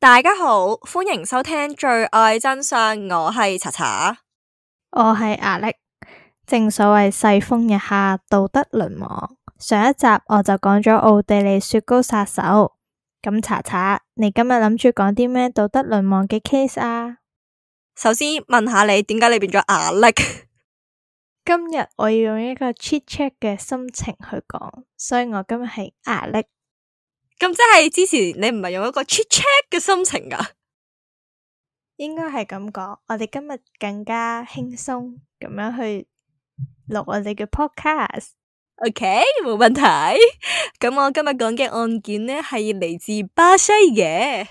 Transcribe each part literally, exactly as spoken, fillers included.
大家好，歡迎收聽罪愛真相，我係查查，我係阿力。正所謂世風日下，道德淪亡。上一集我就講咗奧地利雪糕殺手，咁查查，你今日諗住講啲咩道德淪亡嘅 case 啊？首先問下你，點解你變咗阿力？今日我要用一個 chit chat 嘅心情去講，所以我今日係阿力。咁即係之前你唔係用一個 chit chat 嘅心情噶？應該係咁講，我哋今日更加輕鬆咁樣去錄我哋嘅 podcast。OK，冇問題。咁我今日講嘅案件呢係嚟自巴西嘅。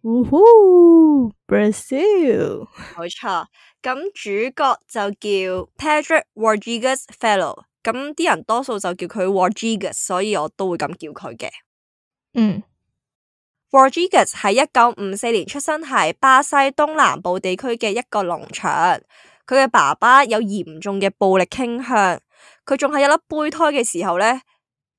嗚呼 Brazil，冇錯。咁主角就叫 Pedro Rodrigues Filho，咁啲人多數就叫佢 Rodrigues，所以我都會咁叫佢嘅。嗯。Rodrigues 喺一九五四年出生喺巴西東南部地區嘅一個農場，佢嘅爸爸有嚴重嘅暴力傾向，佢仲係一粒胚胎嘅時候呢，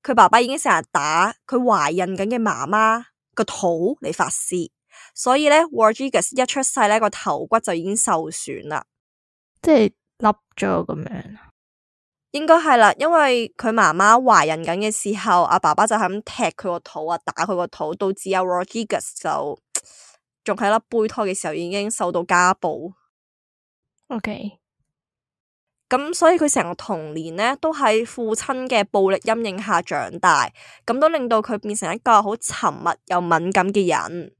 佢爸爸已經成日打佢懷孕緊嘅媽媽個肚嚟發洩，所以呢 Rodrigues 一出世呢個頭骨就已經受損啦，即係凹咗咁樣。應該係啦，因為佢媽媽懷孕緊嘅時候，阿爸爸就係咁踢佢個肚啊，打佢個肚，導致阿 Rodrigues 就仲係粒胚胎嘅時候已經受到家暴。OK，咁所以佢成個童年呢都喺父親嘅暴力陰影下長大，咁都令到佢變成一個好沉默又敏感嘅人。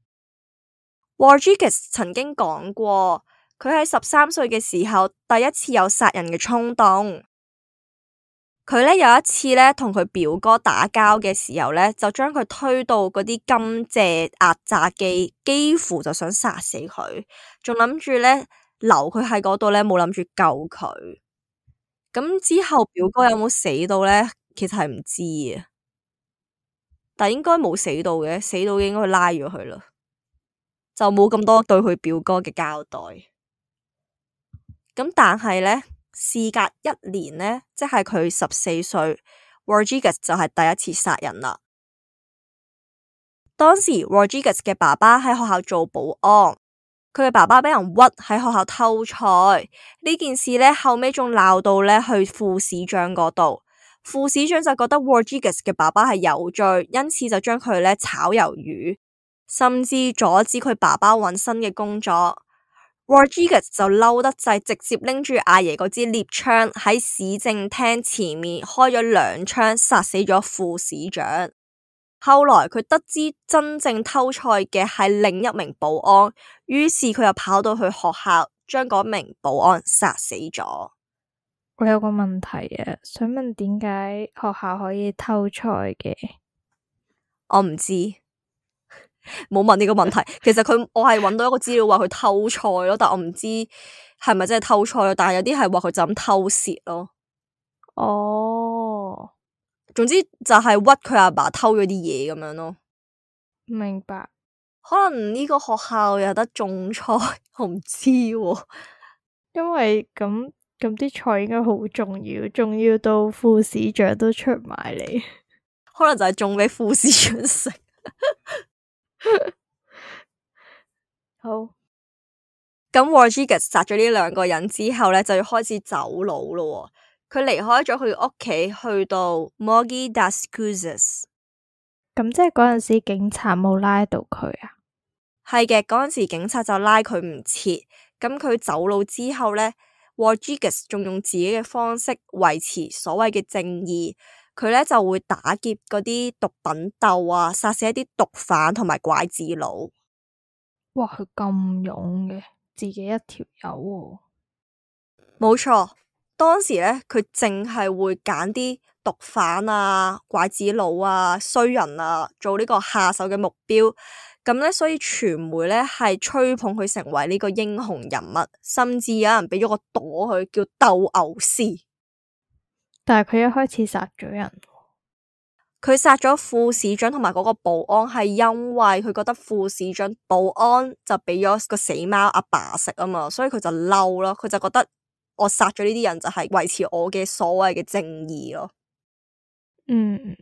Rodrigues 曾經講過，佢喺十三歲嘅時候第一次有殺人嘅衝動。佢咧有一次咧同佢表哥打交嘅時候咧，就將佢推到嗰啲甘蔗壓榨機，幾乎就想殺死佢，仲諗住咧留佢喺嗰度咧，冇諗住救佢。咁之後表哥有冇死到咧？其實係唔知啊，但應該冇死到嘅，死到應該拉咗佢啦，就冇咁多對佢表哥嘅交代。咁但係咧。事隔一年呢，即係佢十四歲 Rodrigues 就係第一次殺人啦。當時 Rodrigues 嘅爸爸喺學校做保安，佢嘅爸爸俾人屈喺學校偷菜呢件事呢，後尾仲鬧到呢去副市長嗰度，副市長就覺得 Rodrigues 嘅爸爸係有罪，因此就將佢呢炒魷魚，甚至阻止佢爸爸揾新嘅工作。Rodrigues 就嬲得滯，直接拎住阿爺嗰支獵槍喺市政廳前面開咗兩槍，殺死咗副市長。後來佢得知真正偷菜嘅係另一名保安，於是佢又跑到去學校，將嗰名保安殺死咗。我有個問題啊，想問點解學校可以偷菜嘅？我唔知。冇問呢個問題，其實佢我係揾到一個資料話佢偷菜咯，但我唔知係咪真係偷菜咯，但係有啲係話佢就咁偷竊咯。哦，總之就係屈佢阿爸偷咗啲嘢咁樣咯。明白。可能呢個學校有得種菜，我唔知喎。因為咁咁啲菜應該好重要，重要到副市長都出埋嚟。可能就係種俾副市長食。好，咁 Rodrigues 殺咗呢兩個人之後呢，就要開始走佬咯。佢離開咗佢屋企，去到 Mogi das Cruzes。咁即係嗰陣時警察冇拉到佢啊？係嘅，嗰陣時警察就拉佢唔切。咁佢走佬之後呢 Rodrigues 仲用自己嘅方式維持所謂嘅正義。佢呢就會打劫嗰啲毒品竇啊，殺死一啲毒販同埋拐子佬。哇，佢咁勇嘅，自己一條友喎。冇錯，當時呢，佢淨係會揀啲毒販啊、拐子佬啊、衰人啊做呢個下手嘅目標。咁呢，所以傳媒呢係吹捧佢成為呢個英雄人物，甚至有人俾咗個朵佢叫鬥牛士。但係佢一開始殺咗人，佢殺咗副市長同埋嗰個保安，係因為佢覺得副市長保安就俾咗個死貓阿爸食啊嘛，所以佢就嬲咯。佢就覺得我殺咗呢啲人就係維持我嘅所謂嘅正義咯。嗯，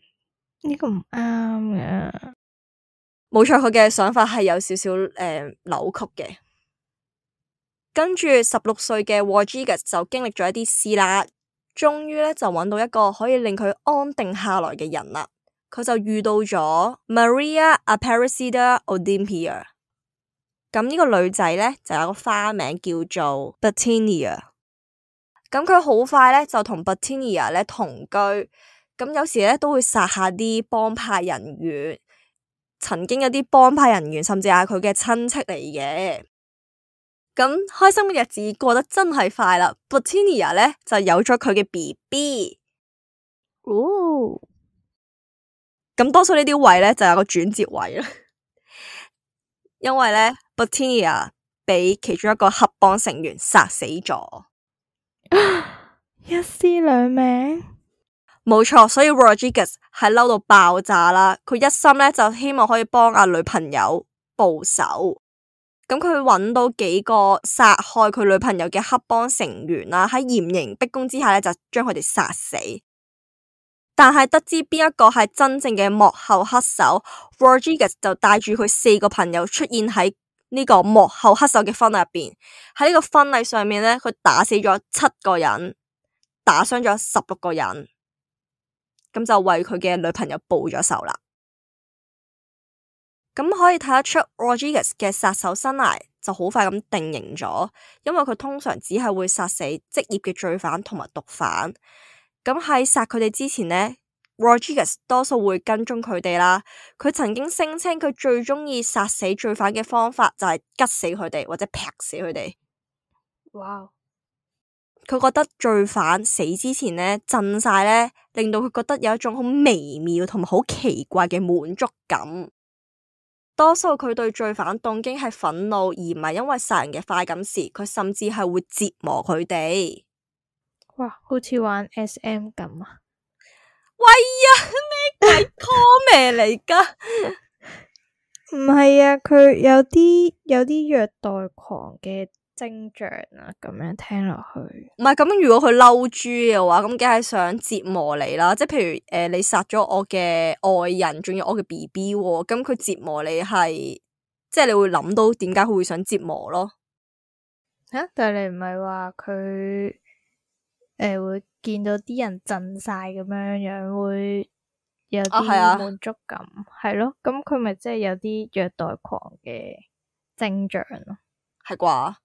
呢個唔啱嘅。冇錯，佢嘅想法係有少少誒、呃、扭曲嘅。跟住十六歲嘅 Rodriguez 就經歷咗一啲事啦，終於咧就揾到一個可以令佢安定下來嘅人啦。佢就遇到咗 Maria Aparecida Olympia。咁呢個女仔咧就有個花名叫做 Bettina。咁佢好快咧就同 Bettina 咧同居，咁有時咧都會殺下啲幫派人員。曾經有啲幫派人員甚至係佢嘅親戚嚟嘅。咁開心嘅日子過得真係快啦。Bettina 咧就有咗佢嘅 B B。哦，咁多數呢啲位咧就有個轉折位啦，因為咧 Bettina 俾其中一個黑幫成員殺死咗，一屍兩命。冇錯，所以 Rodriguez 係嬲到爆炸啦。佢一心咧就希望可以幫阿女朋友報仇。咁佢揾到幾個殺害佢女朋友嘅黑幫成員啦，喺嚴刑逼供之下咧就將佢哋殺死。但係得知邊一個係真正嘅幕後黑手， Rodriguez 就帶住佢四個朋友出現喺呢個幕後黑手嘅婚禮入邊。喺呢個婚禮上面咧，佢打死咗七個人，打傷咗十六個人，咁就為佢嘅女朋友報咗仇啦。咁可以睇得出 Rodriguez 嘅殺手生涯就好快咁定型咗，因為佢通常只係會殺死職業嘅罪犯同埋毒販。咁喺殺佢哋之前呢， Rodriguez 多數會跟蹤佢哋啦。佢曾經聲稱佢最中意殺死罪犯嘅方法就係吉死佢哋或者劈死佢哋。哇！佢覺得罪犯死之前呢，震晒呢，令到佢覺得有一種好微妙同埋好奇怪嘅滿足感。多數佢對罪犯動機係憤怒，而唔係因為殺人嘅快感時，佢甚至係會折磨佢哋。哇，好似玩 S M 咁啊！喂呀，咩鬼 comment 嚟噶？唔係啊，佢有啲有啲虐待狂嘅徵象啊，咁樣聽落去。唔係咁，如果佢嬲豬嘅話，咁梗係想折磨你啦。即係譬如誒、呃，你殺咗我嘅愛人，仲有我嘅 B B，咁佢折磨你係，即係你會諗到點解佢會想折磨咯？吓、啊，但係你唔係話佢誒會見到啲人震晒咁樣樣，會有啲滿足感，係咯、啊？咁佢咪即係有啲虐待狂嘅徵象咯？係啩？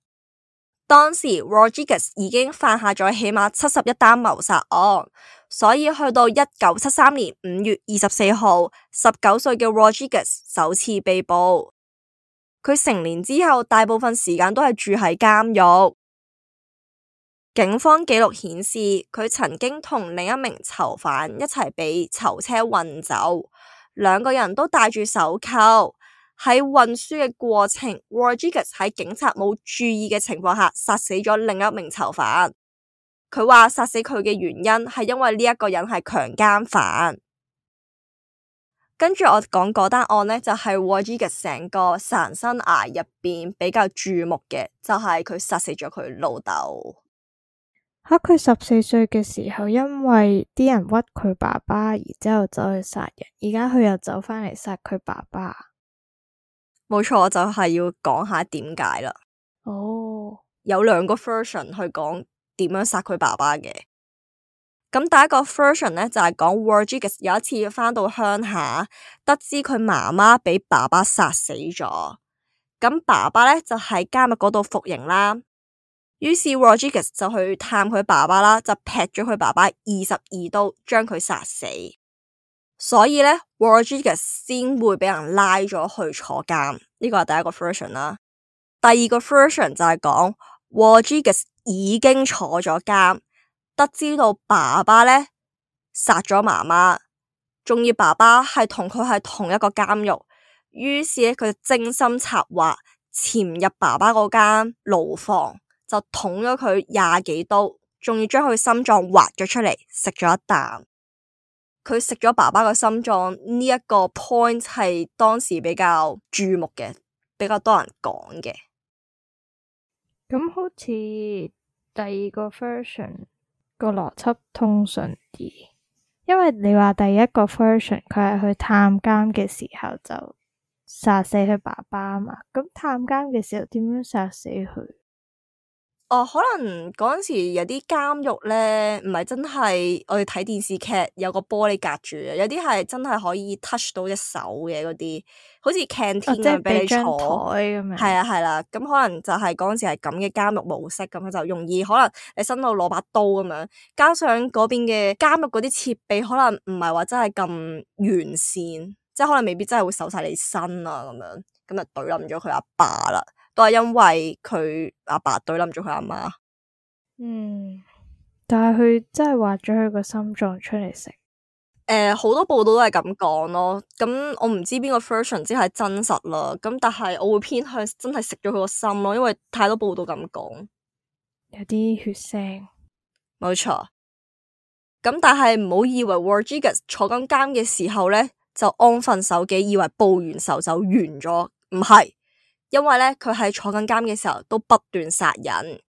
當時 Rodriguez 已經犯下咗起碼七十一單謀殺案，所以去到一九七三年五月二十四號，十九歲嘅 Rodriguez 首次被捕。佢成年之後，大部分時間都係住喺監獄。警方記錄顯示，佢曾經同另一名囚犯一齊被囚車運走，兩個人都戴住手銬。喺運輸嘅過程 Rodriguez 喺警察冇注意嘅情況下殺死咗另一名囚犯。佢話殺死佢嘅原因係因為呢一個人係強姦犯。跟住我講嗰單案呢，就係 Rodriguez 成個殺人生涯入邊比較注目嘅，就係佢殺死咗佢老豆。吓，佢十四歲嘅時候，因為啲人屈佢爸爸，然之後走去殺人，而家佢又走返嚟殺佢爸爸。冇錯，我就係要講下點解啦。哦，有兩個 version 去講點樣殺佢爸爸嘅。咁第一個 version 呢，就係講 Rodriguez 有一次返到鄉下，得知佢媽媽俾爸爸殺死咗。咁爸爸呢，就喺監獄嗰度服刑啦。於是 Rodriguez 就去探佢爸爸啦，就劈咗佢爸爸二十二刀，將佢殺死。所以咧 Rodriguez 先會俾人拉咗去坐監，呢個係第一個 version 啦。第二個 version 就係講 Rodriguez 已經坐咗監，得知到爸爸咧殺咗媽媽，仲要爸爸係同佢係同一個監獄，於是咧佢就精心策劃潛入爸爸嗰間牢房，就捅咗佢廿幾刀，仲要將佢心臟挖咗出嚟食咗一啖。佢食咗爸爸個心臟呢一個 point 係當時比較注目嘅，比較多人講嘅。咁好似第二個 version 個邏輯通順啲，因為你話第一個 version 佢係去探監嘅時候就殺死佢爸爸啊嘛。咁探監嘅時候點樣殺死佢？哦，可能嗰陣時有啲監獄咧，唔係真係我哋睇電視劇有個玻璃隔住嘅，有啲係真係可以 touch 到隻手嘅嗰啲，好似 canteen 哦，即係咁俾你俾張坐。台咁樣。係啊係啦，咁可能就係嗰陣時係咁嘅監獄模式，咁佢就容易可能你伸到攞把刀咁樣，加上嗰邊嘅監獄嗰啲設備可能唔係話真係咁完善，即係可能未必真係會搜晒你身啊咁樣，咁就懟冧咗佢阿爸啦。都係因為佢阿爸懟冧咗佢阿媽。嗯，但係佢真係挖咗佢個心臟出嚟食。誒、呃，好多報道都係咁講咯。咁我唔知邊個 version 之係真實啦。咁但係我會偏向真係食咗佢個心咯，因為太多報道咁講，有啲血腥。冇錯。咁但係唔好以為 Rodriguez 坐緊監嘅時候咧就安分守己，以為報完仇就完咗，唔係。因為咧，佢喺坐緊監嘅時候都不斷殺人。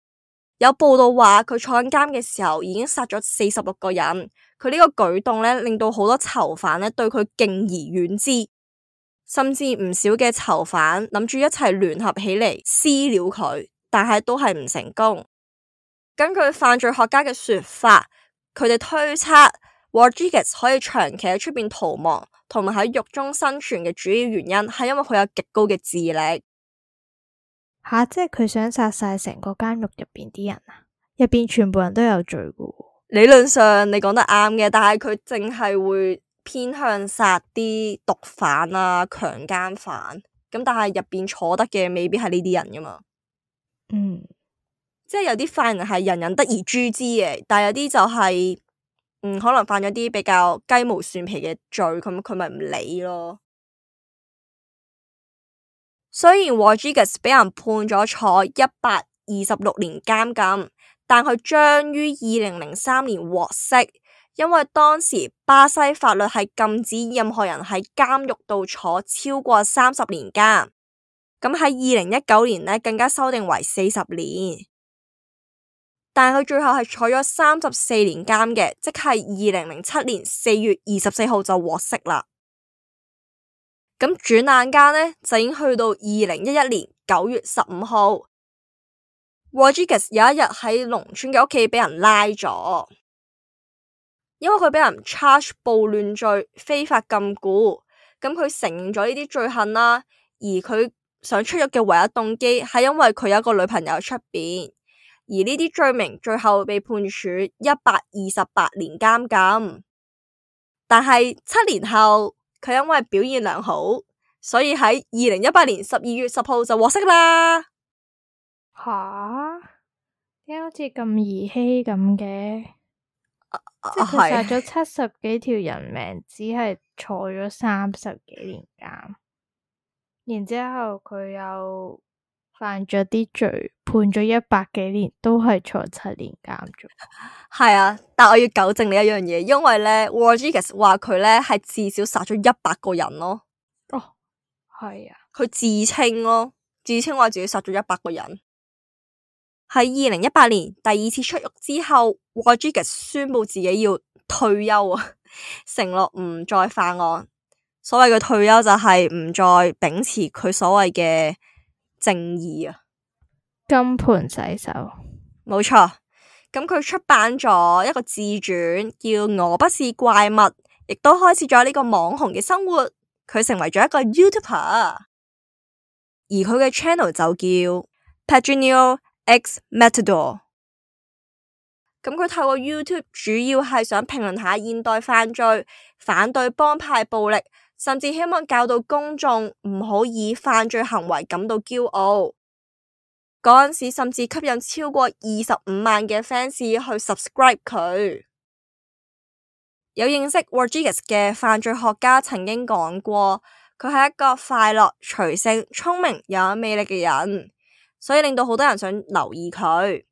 有報道話佢坐緊監嘅時候已經殺咗四十六個人。佢呢個舉動咧，令到好多囚犯咧對佢敬而遠之，甚至唔少嘅囚犯諗住一齊聯合起嚟私了佢，但係都係唔成功。根據犯罪學家嘅說法，佢哋推測 Rodriguez 可以長期喺出邊逃亡，同埋喺獄中生存嘅主要原因係因為佢有極高嘅智力。吓、啊，即係佢想殺晒成個監獄入邊啲人啊？入邊全部人都有罪噶。理論上你講得啱嘅，但係佢淨係會偏向殺啲毒販啊、強姦犯，咁但係入邊坐得嘅未必係呢啲人噶嘛。嗯，即係有啲犯人係人人得而誅之嘅，但係有啲就係、是、嗯可能犯咗啲比較雞毛蒜皮嘅罪，咁佢咪唔理咯。雖然 Rodriguez 俾人判咗坐一百二十六年監禁，但佢將於二零零三年獲釋，因為當時巴西法律係禁止任何人喺監獄度坐超過三十年監。咁喺二零一九年呢，更加修訂為四十年，但佢最後係坐咗三十四年監嘅，即係二零零七年四月二十四號就獲釋啦。咁轉眼間呢，就已經去到二零一一年九月十五號 Rodriguez 有一日喺農村嘅屋企俾人拉咗，因為佢俾人 charge 暴亂罪、非法禁錮。咁佢承認咗呢啲罪行啦，而佢想出獄嘅唯一動機係因為佢有一個女朋友出邊，而呢啲罪名最後被判處一百二十八年監禁。但係七年後，佢因為表現良好，所以喺二零一八年十二月十號就獲釋啦。吓？點解好似咁兒戲咁嘅？啊、即係佢殺咗七十幾條人命，只係坐咗三十幾年監，然之後佢又犯咗啲罪，判咗一百幾年，都係坐七年監啫。係啊，但我要糾正你一樣嘢，因為咧 Rodriguez 話佢咧係至少殺咗一百個人咯。哦，係啊，佢自稱咯，自稱話自己殺咗一百個人。喺二零一八年第二次出獄之後 Rodriguez 宣布自己要退休啊，承諾唔再犯案。所謂嘅退休就係唔再秉持佢所謂嘅正義啊。金盆洗手，冇錯。咁佢出版咗一個自傳，叫《我不是怪物》，亦都開始咗呢個網紅嘅生活。佢成為咗一個 YouTuber，而佢嘅 channel 就叫 Pedrinho X Matador。咁佢透過 YouTube 主要係想評論下現代犯罪，反對幫派暴力，甚至希望教導公眾唔好以犯罪行為感到驕傲。嗰陣時甚至吸引超過二十五萬嘅 fans 去 subscribe 佢。有認識 Rodriguez 嘅犯罪學家曾經講過，佢係一個快樂、隨性、聰明又有魅力嘅人，所以令到好多人想留意佢。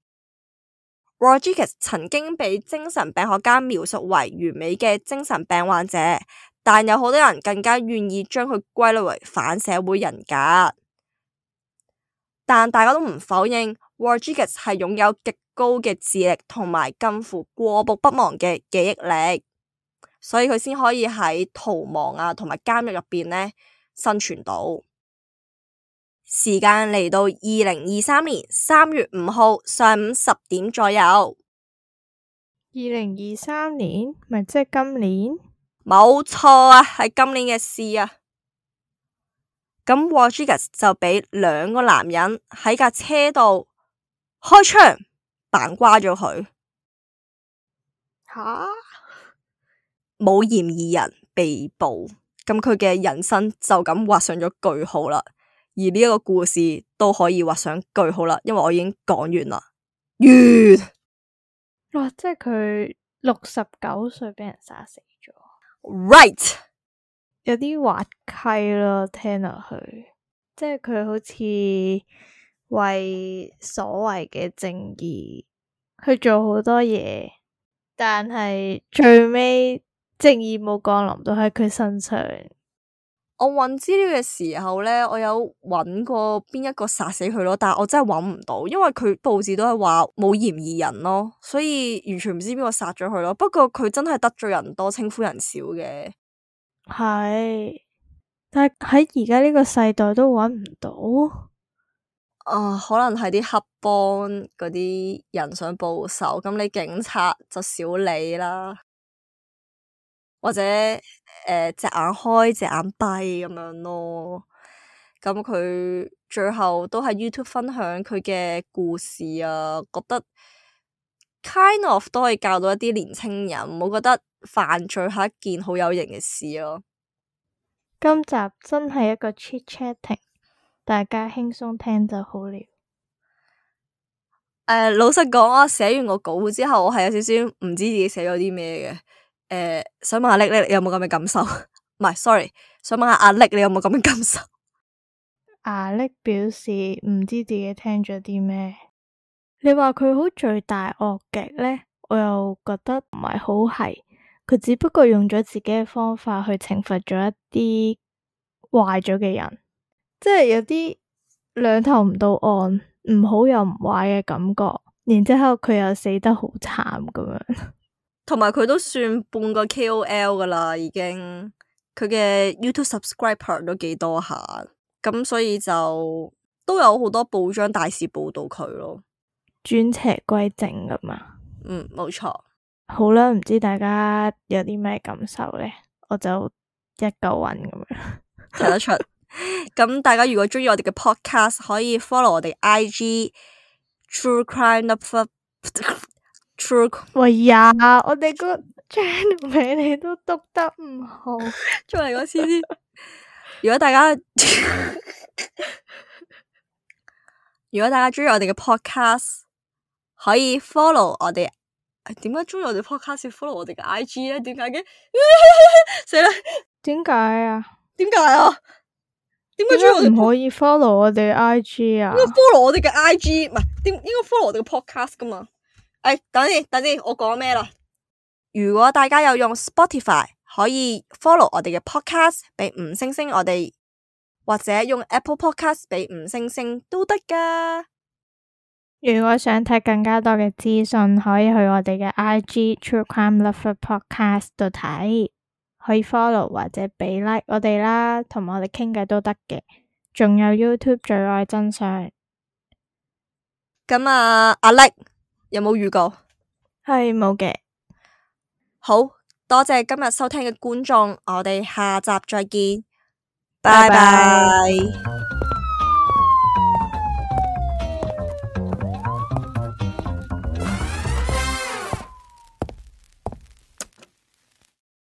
Rodriguez 曾經被精神病學家描述為完美嘅精神病患者，但有好多人更加願意將佢歸類為反社會人格。但大家都唔否認 Rodriguez 係擁有極高嘅智力同埋近乎過目不忘嘅記憶力，所以佢先可以喺逃亡啊同埋監獄入邊呢生存到。時間嚟到二零二三年三月五號上午十點左右。二零二三年咪即係今年？冇錯啊，係今年嘅事啊。咁 Rodriguez 就俾兩個男人喺架車度開槍扮瓜咗佢。吓？冇嫌疑人被捕，咁佢嘅人生就咁畫上咗句號啦。而呢一個故事都可以畫上句號啦，因為我已經講完啦。完。哇！即係佢六十九歲俾人殺死咗。Right。有啲滑稽咯，聽落去，即係佢好似為所謂嘅正義去做好多嘢，但係最尾正義冇降臨到喺佢身上。我揾資料嘅時候呢，我有揾過邊一個殺死佢咯，但係我真係揾唔到，因為佢報紙都係話冇嫌疑人咯，所以完全唔知邊個殺咗佢咯。不過佢真係得罪人多，稱呼人少嘅。係，但係喺而家呢個世代都揾唔到。啊、呃，可能係啲黑幫嗰啲人想報仇，咁你警察就少理啦。或者誒隻、呃、眼開隻眼閉咁樣咯，咁佢最後都喺 YouTube 分享佢嘅故事啊，覺得 kind of 都可以教到一啲年輕人，唔好覺得犯罪係一件好有型嘅事咯。今集真係一個 chit chatting， 大家輕鬆聽就好了。誒、呃，老實講，我寫完個稿之後，我係有少少唔知自己寫咗啲咩嘅。誒、呃，想問下叻叻，你有冇咁嘅感受？唔係，sorry，想問下阿叻，你有冇咁嘅感受？阿叻表示唔知自己聽咗啲咩。你話佢好罪大惡極咧，我又覺得唔係好係。佢只不過用咗自己嘅方法去懲罰咗一啲壞咗嘅人，即係有啲兩頭唔到岸，唔好又唔壞嘅感覺。然之後佢又死得好慘咁樣。同埋佢都算半個 K O L 噶啦，已經佢嘅 YouTube subscriber 都幾多下，咁所以就都有好多報章大肆報道佢咯，轉邪歸正噶嘛。嗯，冇錯。好啦，唔知大家有啲咩感受咧？我就一嚿雲咁樣睇得出。咁大家如果中意我哋嘅 podcast，可以 follow 我哋 I G True Crime Lover。True，喂呀，我哋個 channel 名你都讀得唔好，再嚟個先先。如果大家如果大家中意我哋嘅 podcast，可以 follow 我哋。點解中意我哋 podcast 要 follow 我哋嘅 I G 咧？點解嘅？死啦！點解啊？點解啊？點解中意我哋唔可以 follow 我哋 I G 啊？應該 follow 我哋嘅 I G， 唔係點應該 follow 我哋嘅 podcast 噶嘛？誒，等陣，等陣，我講咩啦？如果大家有用 Spotify，可以 follow 我哋嘅 podcast，俾五星星我哋，或者用 Apple Podcast 俾五星星都得噶。如果想睇更加多嘅資訊，可以去我哋嘅 I G True Crime Lover Podcast 度睇，可以 follow 或者俾 like 我哋啦，同埋我哋傾偈都得嘅。仲有 YouTube 罪愛真相。咁啊，阿叻有冇預告？係冇嘅。好多謝今日收聽嘅觀眾，我哋下集再見，拜拜。